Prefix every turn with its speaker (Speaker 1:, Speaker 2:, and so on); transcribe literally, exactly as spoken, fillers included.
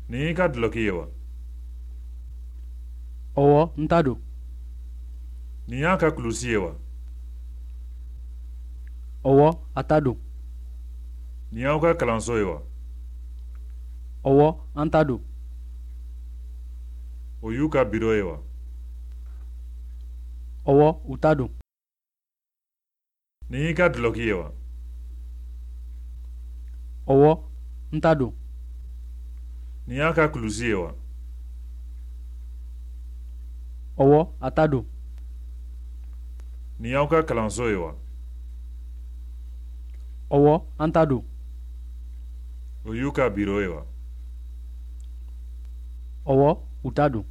Speaker 1: Nin y'i ka dulɔki ye wa?
Speaker 2: Ɔwɔ, n ta don.
Speaker 1: Nin y'a ka kulusi ye wa?
Speaker 2: Ɔwɔ, a ta don.
Speaker 1: Nin y'aw ka kalanso ye wa?
Speaker 2: Ɔwɔ, an ta don.
Speaker 1: O y'u ka biro ye wa?
Speaker 2: Ɔwɔ, u ta don.
Speaker 1: Nin y'i ka dulɔki ye wa?
Speaker 2: Ɔwɔ, n ta don.
Speaker 1: Nin y'a ka kulusi ye wa?
Speaker 2: Ɔwɔ, a ta don.
Speaker 1: Nin y'aw ka kalanso ye wa?
Speaker 2: Ɔwɔ, an ta don.
Speaker 1: O y'u ka biro ye wa?
Speaker 2: Ɔwɔ, u ta don.